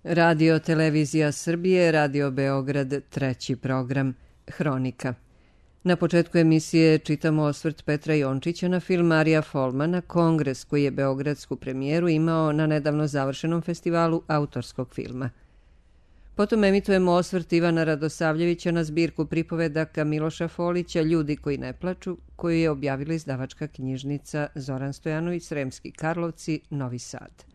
Radio Televizija Srbije, Radio Beograd, treći program, Hronika. Na početku emisije čitamo osvrt Petra Jončića na film Arija Folmana Kongres, koji je beogradsku premijeru imao na nedavno završenom festivalu autorskog filma. Potom emitujemo osvrt Ivana Radosavljevića na zbirku pripovedaka Miloša Folića Ljudi koji ne plaču, koju je objavila izdavačka knjižnica Zoran Stojanović, Sremski Karlovci, Novi Sad.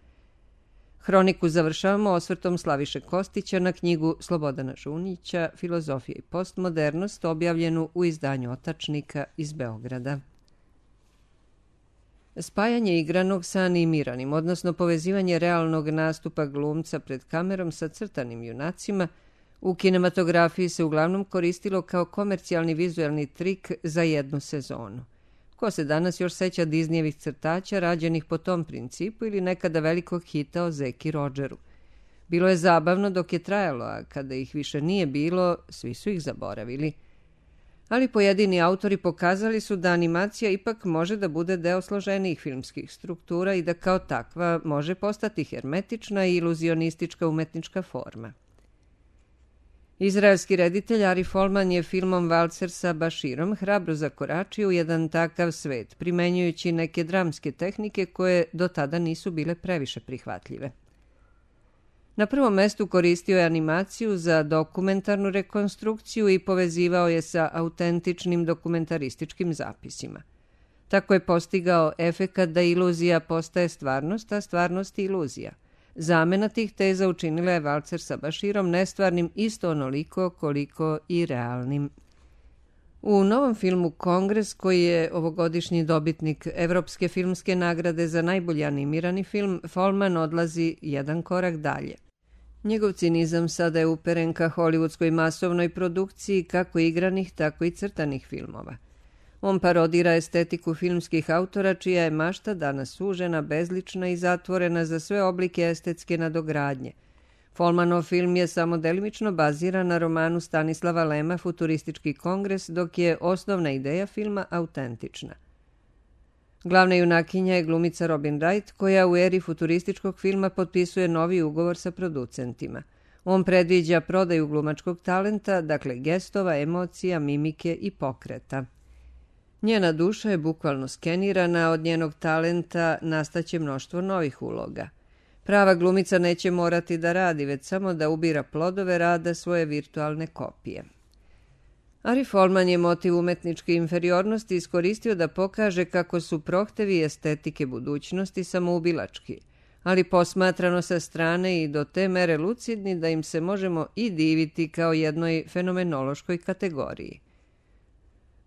Hroniku završavamo osvrtom Slaviše Kostića na knjigu Slobodana Žunića Filozofija i postmodernost, objavljenu u izdanju Otačnika iz Beograda. Spajanje igranog sa animiranim, odnosno povezivanje realnog nastupa glumca pred kamerom sa crtanim junacima, u kinematografiji se uglavnom koristilo kao komercijalni vizuelni trik za jednu sezonu. Ko se danas još seća Disneyevih crtaća rađenih po tom principu ili nekada velikog hita o Zeki Rodžeru? Bilo je zabavno dok je trajalo, a kada ih više nije bilo, svi su ih zaboravili. Ali pojedini autori pokazali su da animacija ipak može da bude deo složenijih filmskih struktura i da kao takva može postati hermetična i iluzionistička umetnička forma. Izraelski reditelj Ari Folman je filmom Valcer sa Baširom hrabro zakoračio u jedan takav svet, primenjujući neke dramske tehnike koje do tada nisu bile previše prihvatljive. Na prvom mestu koristio je animaciju za dokumentarnu rekonstrukciju i povezivao je sa autentičnim dokumentarističkim zapisima. Tako je postigao efekat da iluzija postaje stvarnost, a stvarnost iluzija. Zamena tih teza učinila je Valcer sa Baširom nestvarnim isto onoliko koliko i realnim. U novom filmu Kongres, koji je ovogodišnji dobitnik Evropske filmske nagrade za najbolji animirani film, Folman odlazi jedan korak dalje. Njegov cinizam sada je uperen ka hollywoodskoj masovnoj produkciji kako igranih, tako i crtanih filmova. On parodira estetiku filmskih autora, čija je mašta danas sužena, bezlična i zatvorena za sve oblike estetske nadogradnje. Folmanov film je samo delimično baziran na romanu Stanislava Lema Futuristički kongres, dok je osnovna ideja filma autentična. Glavna junakinja je glumica Robin Wright, koja u eri futurističkog filma potpisuje novi ugovor sa producentima. On predviđa prodaju glumačkog talenta, dakle gestova, emocija, mimike i pokreta. Njena duša je bukvalno skenirana, od njenog talenta nastaće mnoštvo novih uloga. Prava glumica neće morati da radi, već samo da ubira plodove rada svoje virtualne kopije. Ari Folman je motiv umetničke inferiornosti iskoristio da pokaže kako su prohtevi estetike budućnosti samoubilački, ali posmatrano sa strane i do te mere lucidni da im se možemo i diviti kao jednoj fenomenološkoj kategoriji.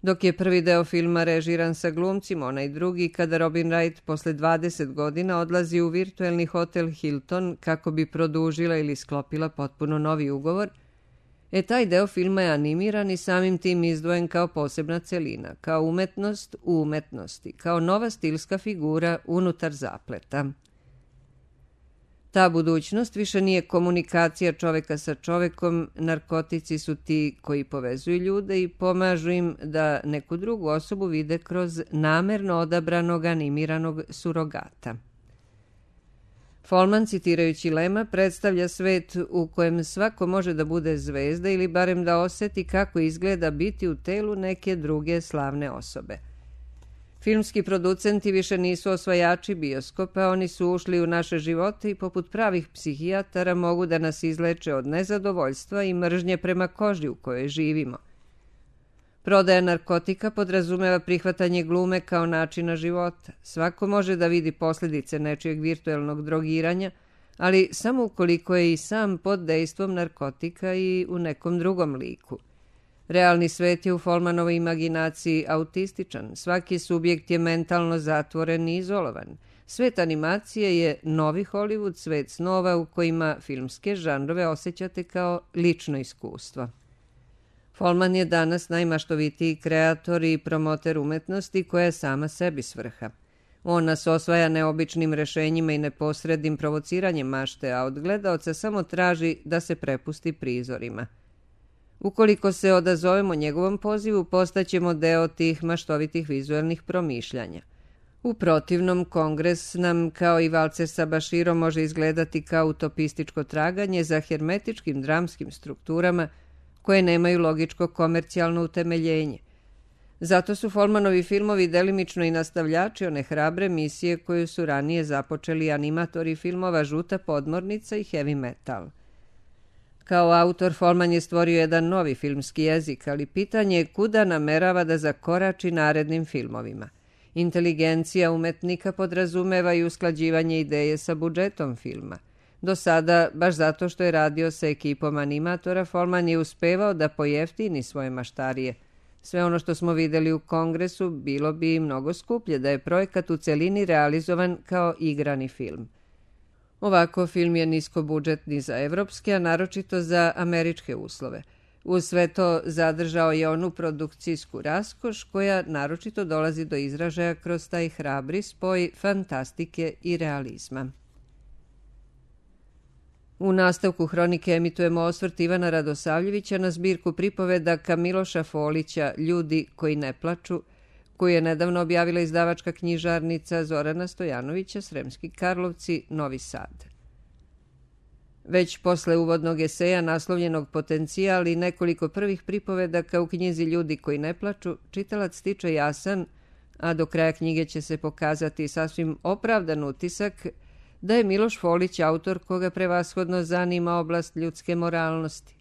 Dok je prvi deo filma režiran sa glumcima, onaj drugi kada Robin Wright posle 20 godina odlazi u virtuelni hotel Hilton kako bi produžila ili sklopila potpuno novi ugovor, taj deo filma je animiran i samim tim izdvojen kao posebna celina, kao umetnost u umetnosti, kao nova stilska figura unutar zapleta. Ta budućnost više nije komunikacija čoveka sa čovekom, narkotici su ti koji povezuju ljude i pomažu im da neku drugu osobu vide kroz namerno odabranog animiranog surogata. Folman, citirajući Lema, predstavlja svet u kojem svako može da bude zvezda ili barem da oseti kako izgleda biti u telu neke druge slavne osobe. Filmski producenti više nisu osvajači bioskopa, oni su ušli u naše živote i poput pravih psihijatara mogu da nas izleče od nezadovoljstva i mržnje prema koži u kojoj živimo. Prodaja narkotika podrazumeva prihvatanje glume kao načina života. Svako može da vidi posljedice nečijeg virtuelnog drogiranja, ali samo ukoliko je i sam pod dejstvom narkotika i u nekom drugom liku. Realni svet je u Folmanovoj imaginaciji autističan, svaki subjekt je mentalno zatvoren i izolovan. Svet animacije je novi Hollywood, svet snova u kojima filmske žanrove osjećate kao lično iskustvo. Folman je danas najmaštovitiji kreator i promoter umetnosti koja je sama sebi svrha. On nas osvaja neobičnim rešenjima i neposrednim provociranjem mašte, a od gledaoca samo traži da se prepusti prizorima. Ukoliko se odazovemo njegovom pozivu, postaćemo deo tih maštovitih vizuelnih promišljanja. U protivnom, Kongres nam, kao i valcer sa Bashirom, može izgledati kao utopističko traganje za hermetičkim dramskim strukturama koje nemaju logičko komercijalno utemeljenje. Zato su Folmanovi filmovi delimično i nastavljači one hrabre misije koju su ranije započeli animatori filmova Žuta podmornica i Heavy metal. Kao autor, Folman je stvorio jedan novi filmski jezik, ali pitanje je kuda namerava da zakorači narednim filmovima. Inteligencija umetnika podrazumeva i usklađivanje ideje sa budžetom filma. Do sada, baš zato što je radio sa ekipom animatora, Folman je uspevao da pojeftini svoje maštarije. Sve ono što smo videli u Kongresu bilo bi mnogo skuplje da je projekat u celini realizovan kao igrani film. Ovako, film je niskobudžetni za evropske, a naročito za američke uslove. Uz sve to zadržao je onu produkcijsku raskoš koja naročito dolazi do izražaja kroz taj hrabri spoj fantastike i realizma. U nastavku hronike emitujemo osvrt Ivana Radosavljevića na zbirku pripovedaka Miloša Folića Ljudi koji ne plaču, koju je nedavno objavila izdavačka knjižarnica Zorana Stojanovića, Sremski Karlovci, Novi Sad. Već posle uvodnog eseja naslovljenog Potencijal i nekoliko prvih pripovedaka u knjizi Ljudi koji ne plaču, čitalac stiče jasan, a do kraja knjige će se pokazati sasvim opravdan utisak da je Miloš Folić autor koga prevashodno zanima oblast ljudske moralnosti.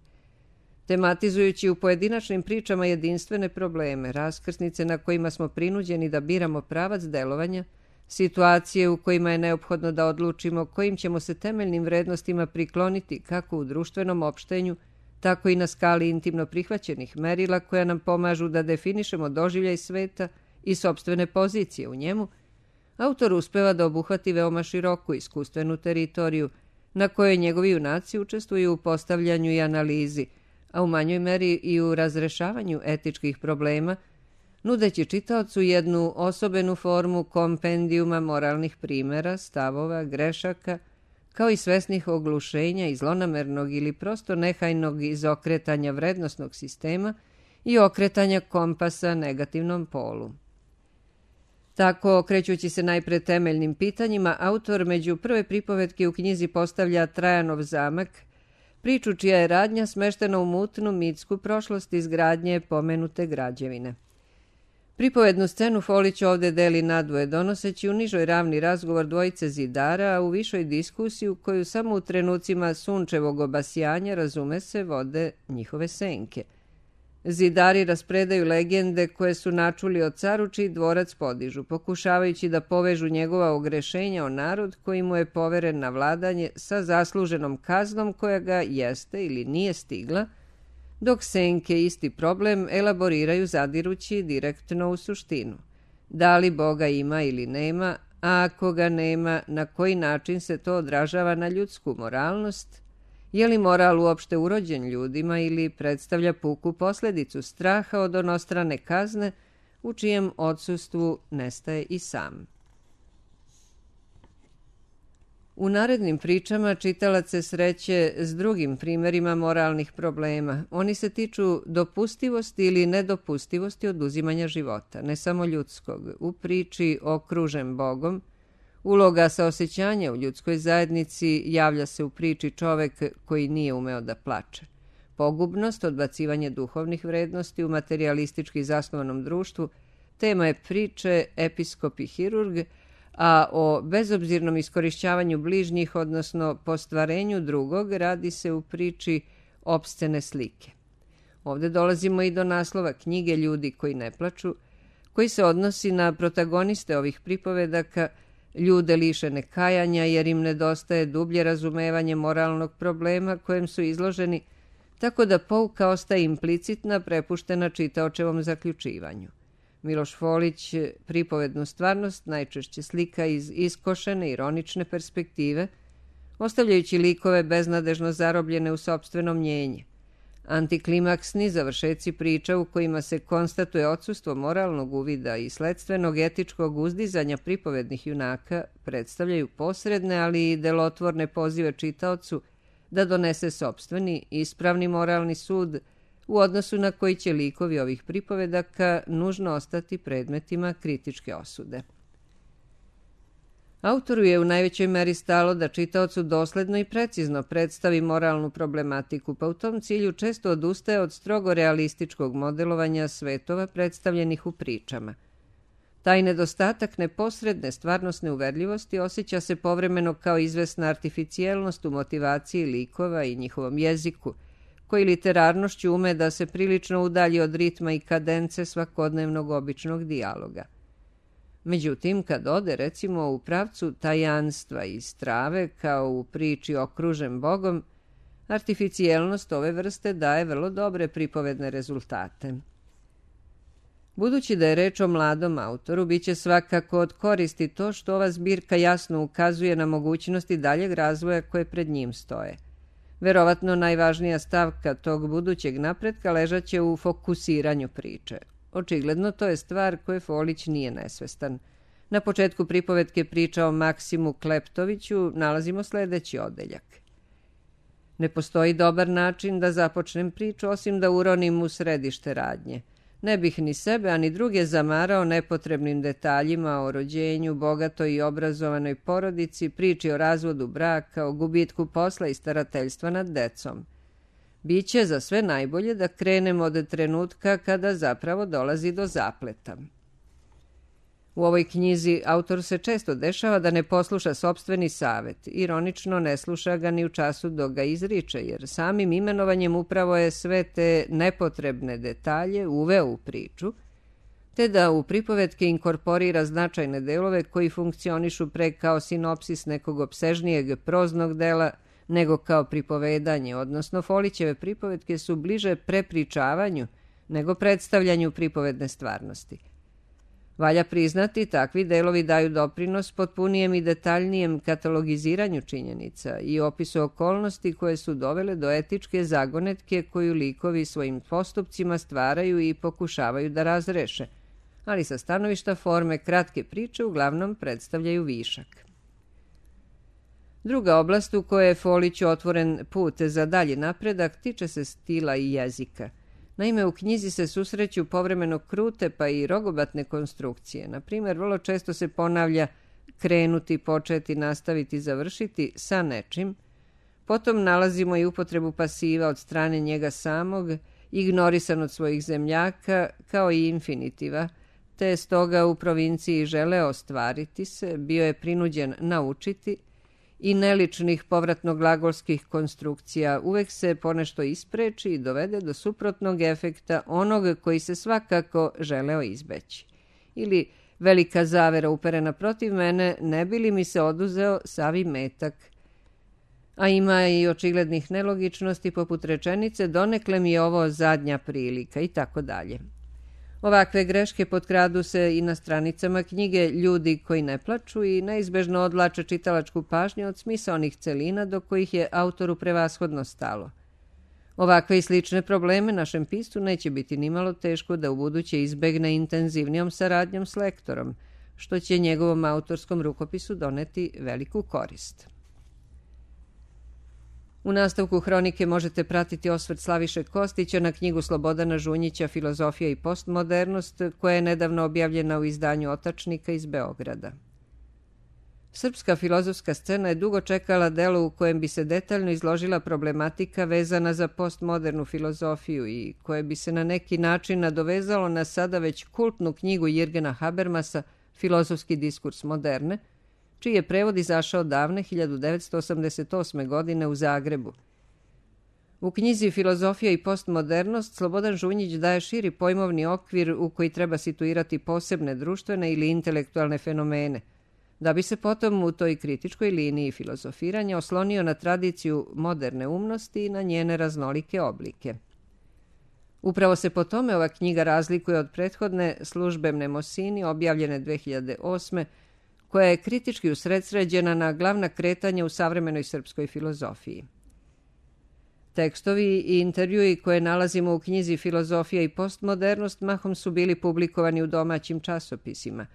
Tematizujući u pojedinačnim pričama jedinstvene probleme, raskrsnice na kojima smo prinuđeni da biramo pravac delovanja, situacije u kojima je neophodno da odlučimo kojim ćemo se temeljnim vrednostima prikloniti kako u društvenom opštenju, tako i na skali intimno prihvaćenih merila koja nam pomažu da definišemo doživljaj sveta i sopstvene pozicije u njemu, autor uspeva da obuhvati veoma široku iskustvenu teritoriju na kojoj njegovi junaci učestvuju u postavljanju i analizi, a u manjoj meri i u razrešavanju etičkih problema, nudeći čitaocu jednu osobenu formu kompendijuma moralnih primera, stavova, grešaka, kao i svesnih oglušenja i zlonamernog ili prosto nehajnog izokretanja vrednosnog sistema i okretanja kompasa negativnom polu. Tako, okrećući se najpre temeljnim pitanjima, autor među prve pripovetke u knjizi postavlja Trajanov zamak, priču čija je radnja smeštena u mutnu mitsku prošlost izgradnje pomenute građevine. Pripovednu scenu Folić ovde deli nadvoje, donoseći u nižoj ravni razgovor dvojice zidara, a u višoj diskusiju koju samo u trenucima sunčevog obasjanja, razume se, vode njihove senke. Zidari raspredaju legende koje su načuli o caru čiji dvorac podižu, pokušavajući da povežu njegova ogrešenja o narod koji mu je poveren na vladanje sa zasluženom kaznom koja ga jeste ili nije stigla, dok senke isti problem elaboriraju zadirući direktno u suštinu. Da li Boga ima ili nema, a ako ga nema, na koji način se to odražava na ljudsku moralnost? Je li moral uopšte urođen ljudima ili predstavlja puku posledicu straha od onostrane kazne u čijem odsustvu nestaje i sam? U narednim pričama čitalac se sreće s drugim primerima moralnih problema. Oni se tiču dopustivosti ili nedopustivosti oduzimanja života, ne samo ljudskog. U priči Okružen Bogom, uloga saosećanja u ljudskoj zajednici javlja se u priči Čovek koji nije umeo da plače. Pogubnost, odbacivanje duhovnih vrednosti u materijalistički zasnovanom društvu, tema je priče Episkop i hirurg, a o bezobzirnom iskorišćavanju bližnjih, odnosno postvarenju drugog, radi se u priči Opscene slike. Ovde dolazimo i do naslova knjige Ljudi koji ne plaču, koji se odnosi na protagoniste ovih pripovedaka, ljude lišene kajanja jer im nedostaje dublje razumevanje moralnog problema kojem su izloženi, tako da pouka ostaje implicitna, prepuštena čitaočevom zaključivanju. Miloš Folić pripovednu stvarnost najčešće slika iz iskošene, ironične perspektive, ostavljajući likove beznadežno zarobljene u sopstveno mnjenje. Antiklimaksni završeci priča u kojima se konstatuje odsustvo moralnog uvida i sledstvenog etičkog uzdizanja pripovednih junaka predstavljaju posredne, ali i delotvorne pozive čitaocu da donese sopstveni, ispravni moralni sud u odnosu na koji će likovi ovih pripovedaka nužno ostati predmetima kritičke osude. Autoru je u najvećoj meri stalo da čitaocu dosledno i precizno predstavi moralnu problematiku, pa u tom cilju često odustaje od strogo realističkog modelovanja svetova predstavljenih u pričama. Taj nedostatak neposredne stvarnosne uverljivosti osjeća se povremeno kao izvesna artificijelnost u motivaciji likova i njihovom jeziku, koji literarnošću ume da se prilično udalji od ritma i kadence svakodnevnog običnog dijaloga. Međutim, kad ode, recimo, u pravcu tajanstva i strave, kao u priči Okružen Bogom, artificijelnost ove vrste daje vrlo dobre pripovedne rezultate. Budući da je reč o mladom autoru, bit će svakako od koristi to što ova zbirka jasno ukazuje na mogućnosti daljeg razvoja koje pred njim stoje. Verovatno najvažnija stavka tog budućeg napretka ležaće u fokusiranju priče. Očigledno to je stvar koje Folić nije nesvestan. Na početku pripovetke priča o Maksimu Kleptoviću nalazimo sledeći odeljak. Ne postoji dobar način da započnem priču osim da uronim u središte radnje. Ne bih ni sebe, a ni druge zamarao nepotrebnim detaljima o rođenju, bogatoj i obrazovanoj porodici, priči o razvodu braka, o gubitku posla i starateljstva nad decom. Biće za sve najbolje da krenemo od trenutka kada zapravo dolazi do zapleta. U ovoj knjizi autor se često dešava da ne posluša sopstveni savet. Ironično ne sluša ga ni u času dok ga izriče, jer samim imenovanjem upravo je sve te nepotrebne detalje uveo u priču, te da u pripovetke inkorporira značajne delove koji funkcionišu pre kao sinopsis nekog opsežnijeg proznog dela nego kao pripovedanje, odnosno Folićeve pripovetke su bliže prepričavanju nego predstavljanju pripovedne stvarnosti. Valja priznati, takvi delovi daju doprinos potpunijem i detaljnijem katalogiziranju činjenica i opisu okolnosti koje su dovele do etičke zagonetke koju likovi svojim postupcima stvaraju i pokušavaju da razreše, ali sa stanovišta forme kratke priče uglavnom predstavljaju višak. Druga oblast u kojoj je Foliću otvoren put za dalji napredak tiče se stila i jezika. Naime, u knjizi se susreću povremeno krute pa i rogobatne konstrukcije. Na primjer, vrlo često se ponavlja krenuti, početi, nastaviti, završiti sa nečim. Potom nalazimo i upotrebu pasiva od strane njega samog, ignorisan od svojih zemljaka, kao i infinitiva, te je stoga u provinciji želeo ostvariti se, bio je prinuđen naučiti, i neličnih povratno-glagolskih konstrukcija uvek se ponešto ispreči i dovede do suprotnog efekta onog koji se svakako želeo izbeći. Ili velika zavera uperena protiv mene, ne bi li mi se oduzeo savi metak. A ima i očiglednih nelogičnosti poput rečenice donekle mi je ovo zadnja prilika i tako dalje. Ovakve greške potkradu se i na stranicama knjige Ljudi koji ne plaču i neizbežno odvlače čitalačku pažnju od smisaonih celina do kojih je autoru prevashodno stalo. Ovakve i slične probleme našem piscu neće biti nimalo teško da ubuduće izbegne intenzivnijom saradnjom s lektorom, što će njegovom autorskom rukopisu doneti veliku korist. U nastavku hronike možete pratiti osvrt Slaviše Kostića na knjigu Slobodana Žunjića Filozofija i postmodernost, koja je nedavno objavljena u izdanju Otačnika iz Beograda. Srpska filozofska scena je dugo čekala delo u kojem bi se detaljno izložila problematika vezana za postmodernu filozofiju i koje bi se na neki način nadovezalo na sada već kultnu knjigu Jirgena Habermasa Filozofski diskurs moderne, čiji je prevod izašao davne 1988. godine u Zagrebu. U knjizi Filozofija i postmodernost Slobodan Žunjić daje širi pojmovni okvir u koji treba situirati posebne društvene ili intelektualne fenomene, da bi se potom u toj kritičkoj liniji filozofiranja oslonio na tradiciju moderne umnosti i na njene raznolike oblike. Upravo se po tome ova knjiga razlikuje od prethodne Službe Mnemosini, objavljene 2008. koja je kritički usredsređena na glavna kretanja u savremenoj srpskoj filozofiji. Tekstovi i intervjui koje nalazimo u knjizi Filozofija i postmodernost mahom su bili publikovani u domaćim časopisima,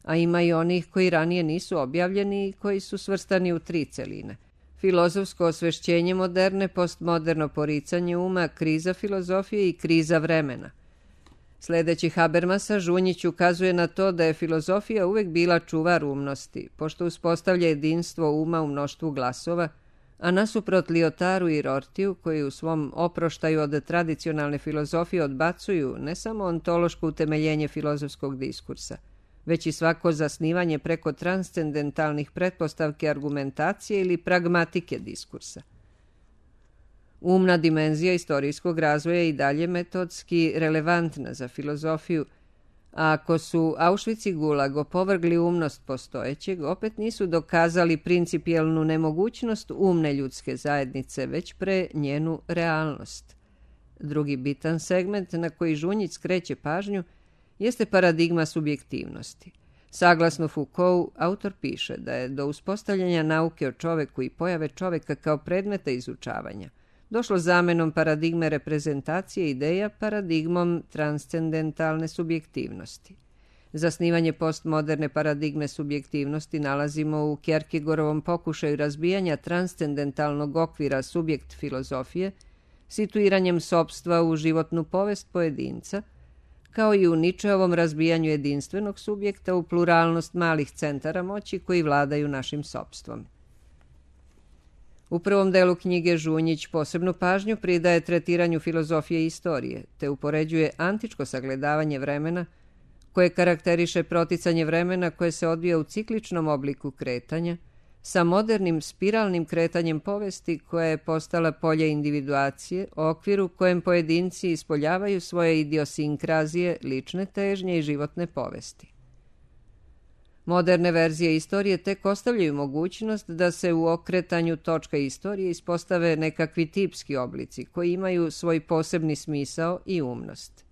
a ima i onih koji ranije nisu objavljeni i koji su svrstani u 3 celine. Filozofsko osvešćenje moderne, postmoderno poricanje uma, kriza filozofije i kriza vremena. Sledeći Habermasa, Žunjić ukazuje na to da je filozofija uvek bila čuvar umnosti, pošto uspostavlja jedinstvo uma u mnoštvu glasova, a nasuprot Lyotaru i Rortiju, koji u svom oproštaju od tradicionalne filozofije odbacuju ne samo ontološko utemeljenje filozofskog diskursa, već i svako zasnivanje preko transcendentalnih pretpostavke argumentacije ili pragmatike diskursa. Umna dimenzija istorijskog razvoja je i dalje metodski relevantna za filozofiju, a ako su Auschwitz i Gulag opovrgli umnost postojećeg, opet nisu dokazali principijelnu nemogućnost umne ljudske zajednice, već pre njenu realnost. Drugi bitan segment na koji Žunjić skreće pažnju jeste paradigma subjektivnosti. Saglasno Foucault, autor piše da je do uspostavljanja nauke o čoveku i pojave čoveka kao predmeta izučavanja došlo zamenom paradigme reprezentacije ideja paradigmom transcendentalne subjektivnosti. Zasnivanje postmoderne paradigme subjektivnosti nalazimo u Kierkegaardovom pokušaju razbijanja transcendentalnog okvira subjekt filozofije, situiranjem sopstva u životnu povest pojedinca, kao i u Ničeovom razbijanju jedinstvenog subjekta u pluralnost malih centara moći koji vladaju našim sopstvom. U prvom delu knjige Žunjić posebnu pažnju pridaje tretiranju filozofije i istorije, te upoređuje antičko sagledavanje vremena, koje karakteriše proticanje vremena koje se odvija u cikličnom obliku kretanja, sa modernim spiralnim kretanjem povesti koja je postala polje individuacije, okviru kojem pojedinci ispoljavaju svoje idiosinkrazije, lične težnje i životne povesti. Moderne verzije istorije tek ostavljaju mogućnost da se u okretanju točka istorije ispostave nekakvi tipski oblici koji imaju svoj posebni smisao i umnost.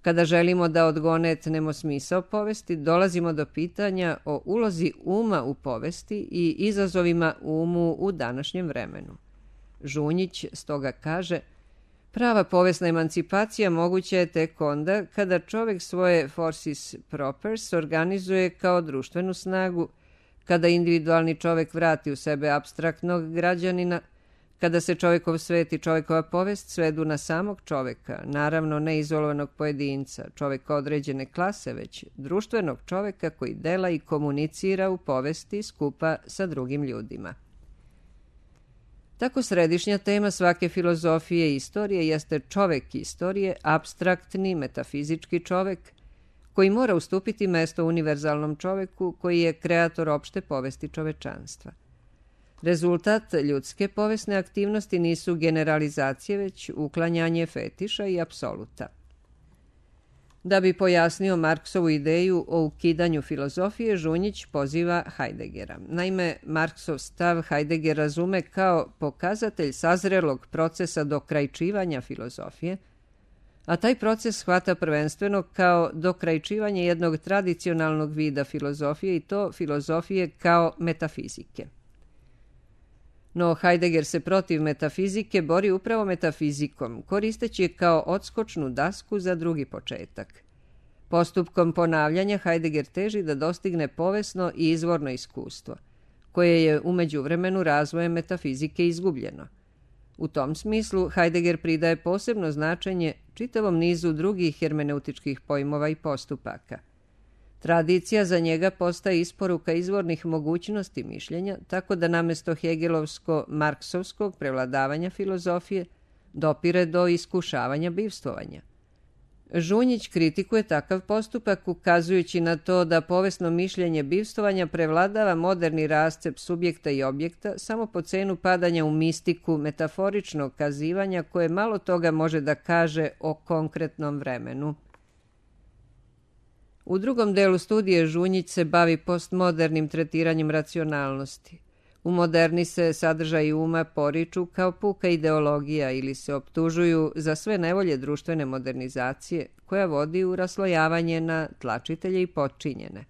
Kada želimo da odgonetnemo smisao povesti, dolazimo do pitanja o ulozi uma u povesti i izazovima umu u današnjem vremenu. Žunjić stoga kaže: prava povesna emancipacija moguća je tek onda kada čovek svoje forces propers organizuje kao društvenu snagu, kada individualni čovek vrati u sebe apstraktnog građanina, kada se čovekov svet i čovekova povest svedu na samog čoveka, naravno ne izolovanog pojedinca, čoveka određene klase, već društvenog čoveka koji dela i komunicira u povesti skupa sa drugim ljudima. Tako središnja tema svake filozofije i istorije jeste čovek istorije, apstraktni, metafizički čovek, koji mora ustupiti mesto univerzalnom čoveku koji je kreator opšte povesti čovečanstva. Rezultat ljudske povesne aktivnosti nisu generalizacije, već uklanjanje fetiša i apsoluta. Da bi pojasnio Marksovu ideju o ukidanju filozofije, Žunjić poziva Heideggera. Naime, Marksov stav Heidegger razume kao pokazatelj sazrelog procesa dokrajčivanja filozofije, a taj proces shvata prvenstveno kao dokrajčivanje jednog tradicionalnog vida filozofije i to filozofije kao metafizike. No Heidegger se protiv metafizike bori upravo metafizikom, koristeći je kao odskočnu dasku za drugi početak. Postupkom ponavljanja Heidegger teži da dostigne povesno i izvorno iskustvo, koje je u međuvremenu razvojem metafizike izgubljeno. U tom smislu Heidegger pridaje posebno značenje čitavom nizu drugih hermeneutičkih pojmova i postupaka. Tradicija za njega postaje isporuka izvornih mogućnosti mišljenja, tako da namesto hegelovsko-marksovskog prevladavanja filozofije dopire do iskušavanja bivstvovanja. Žunjić kritikuje takav postupak ukazujući na to da povesno mišljenje bivstvovanja prevladava moderni rascep subjekta i objekta samo po cenu padanja u mistiku metaforičnog kazivanja koje malo toga može da kaže o konkretnom vremenu. U drugom delu studije Žunjić se bavi postmodernim tretiranjem racionalnosti. U moderni se sadržaji uma poriču kao puka ideologija ili se optužuju za sve nevolje društvene modernizacije koja vodi u raslojavanje na tlačitelje i potčinjene.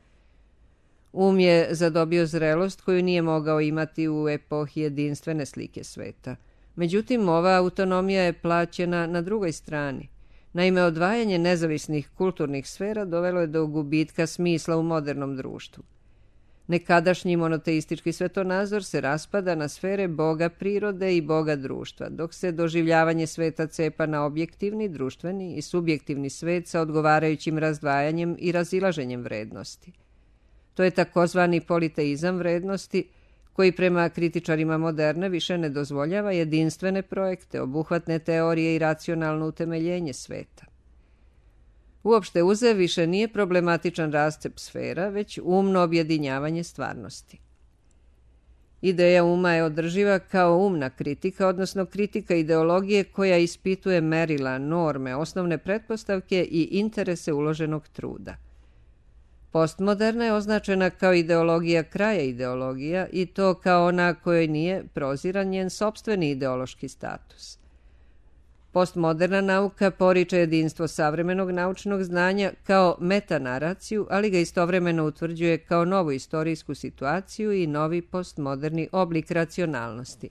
Um je zadobio zrelost koju nije mogao imati u epohi jedinstvene slike sveta. Međutim, ova autonomija je plaćena na drugoj strani. Naime, odvajanje nezavisnih kulturnih sfera dovelo je do gubitka smisla u modernom društvu. Nekadašnji monoteistički svetonazor se raspada na sfere boga prirode i boga društva, dok se doživljavanje sveta cepa na objektivni, društveni i subjektivni svet sa odgovarajućim razdvajanjem i razilaženjem vrednosti. To je takozvani politeizam vrednosti, koji prema kritičarima moderne više ne dozvoljava jedinstvene projekte, obuhvatne teorije i racionalno utemeljenje sveta. Uopšte uze više nije problematičan rascep sfera, već umno objedinjavanje stvarnosti. Ideja uma je održiva kao umna kritika, odnosno kritika ideologije koja ispituje merila, norme, osnovne pretpostavke i interese uloženog truda. Postmoderna je označena kao ideologija kraja ideologija i to kao ona kojoj nije proziran njen sopstveni ideološki status. Postmoderna nauka poriče jedinstvo savremenog naučnog znanja kao metanaraciju, ali ga istovremeno utvrđuje kao novu istorijsku situaciju i novi postmoderni oblik racionalnosti.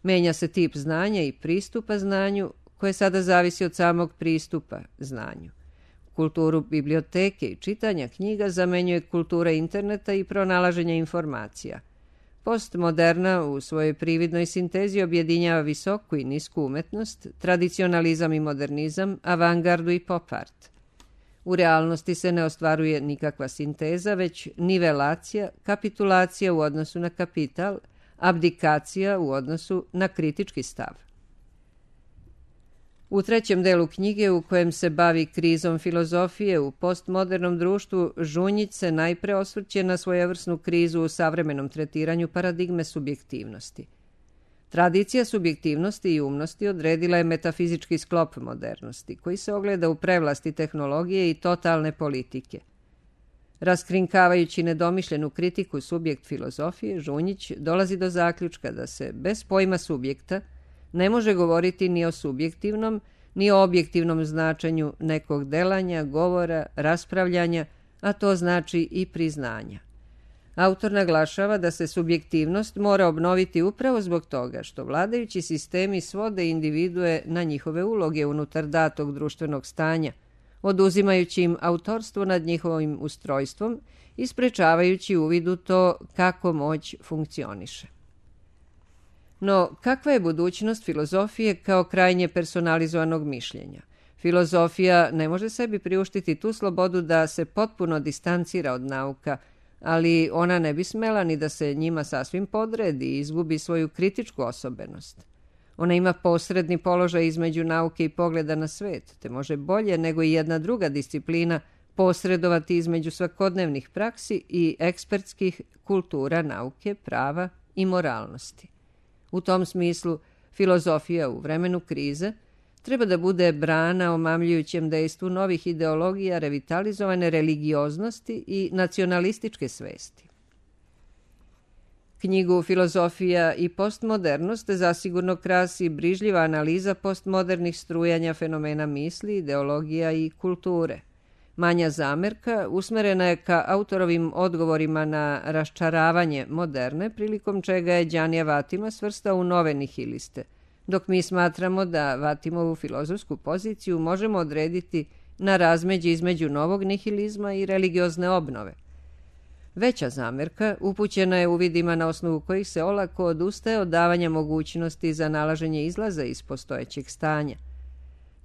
Menja se tip znanja i pristupa znanju, koje sada zavisi od samog pristupa znanju. Kulturu biblioteke i čitanja knjiga zamenjuje kultura interneta i pronalaženja informacija. Postmoderna u svojoj prividnoj sintezi objedinjava visoku i nisku umetnost, tradicionalizam i modernizam, avangardu i pop art. U realnosti se ne ostvaruje nikakva sinteza, već nivelacija, kapitulacija u odnosu na kapital, abdikacija u odnosu na kritički stav. U trećem delu knjige, u kojem se bavi krizom filozofije u postmodernom društvu, Žunjić se najpre osvrće na svojevrsnu krizu u savremenom tretiranju paradigme subjektivnosti. Tradicija subjektivnosti i umnosti odredila je metafizički sklop modernosti, koji se ogleda u prevlasti tehnologije i totalne politike. Raskrinkavajući nedomišljenu kritiku subjekt filozofije, Žunjić dolazi do zaključka da se bez pojma subjekta ne može govoriti ni o subjektivnom, ni o objektivnom značenju nekog delanja, govora, raspravljanja, a to znači i priznanja. Autor naglašava da se subjektivnost mora obnoviti upravo zbog toga što vladajući sistemi svode individue na njihove uloge unutar datog društvenog stanja, oduzimajući im autorstvo nad njihovim ustrojstvom i sprečavajući uvid u to kako moć funkcioniše. No, kakva je budućnost filozofije kao krajnje personalizovanog mišljenja? Filozofija ne može sebi priuštiti tu slobodu da se potpuno distancira od nauka, ali ona ne bi smela ni da se njima sasvim podredi i izgubi svoju kritičku osobenost. Ona ima posredni položaj između nauke i pogleda na svet, te može bolje nego i jedna druga disciplina posredovati između svakodnevnih praksi i ekspertskih kultura nauke, prava i moralnosti. U tom smislu, filozofija u vremenu krize treba da bude brana omamljujućem dejstvu novih ideologija, revitalizovane religioznosti i nacionalističke svesti. Knjigu Filozofija i postmodernost zasigurno krasi brižljiva analiza postmodernih strujanja fenomena misli, ideologija i kulture. Manja zamerka usmerena je ka autorovim odgovorima na raščaravanje moderne, prilikom čega je Đanija Vatima svrstao u nove nihiliste, dok mi smatramo da Vatimovu filozofsku poziciju možemo odrediti na razmeđe između novog nihilizma i religiozne obnove. Veća zamerka upućena je uvidima na osnovu kojih se olako odustaje od davanja mogućnosti za nalaženje izlaza iz postojećeg stanja.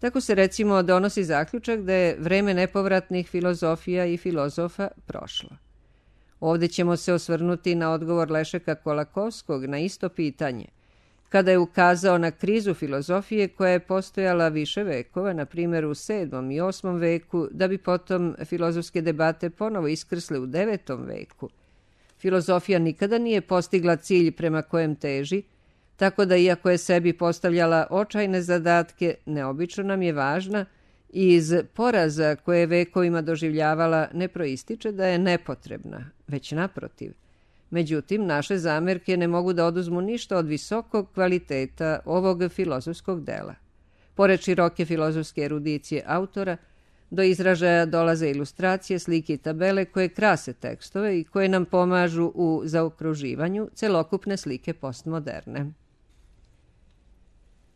Tako se recimo donosi zaključak da je vreme nepovratnih filozofija i filozofa prošlo. Ovdje ćemo se osvrnuti na odgovor Lešeka Kolakovskog na isto pitanje, kada je ukazao na krizu filozofije koja je postojala više vekova, na primjer u 7. i 8. veku, da bi potom filozofske debate ponovo iskrsle u 9. veku. Filozofija nikada nije postigla cilj prema kojem teži, tako da iako je sebi postavljala očajne zadatke, neobično nam je važna i iz poraza koje je vekovima doživljavala ne proističe da je nepotrebna, već naprotiv. Međutim, naše zamerke ne mogu da oduzmu ništa od visokog kvaliteta ovog filozofskog dela. Pored široke filozofske erudicije autora, do izražaja dolaze ilustracije, slike i tabele koje krase tekstove i koje nam pomažu u zaokruživanju celokupne slike postmoderne.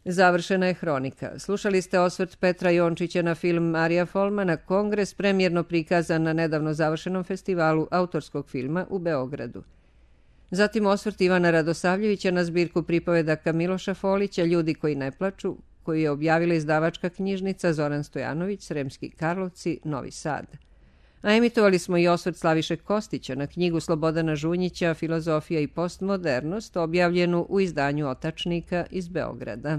Završena je hronika. Slušali ste osvrt Petra Jončića na film Marija Folmana Kongres, premijerno prikazan na nedavno završenom festivalu autorskog filma u Beogradu. Zatim osvrt Ivana Radosavljevića na zbirku pripovedaka Miloša Folića Ljudi koji ne plaču, koju je objavila izdavačka knjižnica Zoran Stojanović, Sremski Karlovci, Novi Sad. A emitovali smo i osvrt Slaviše Kostića na knjigu Slobodana Žunjića Filozofija i postmodernost, objavljenu u izdanju Otačnika iz Beograda.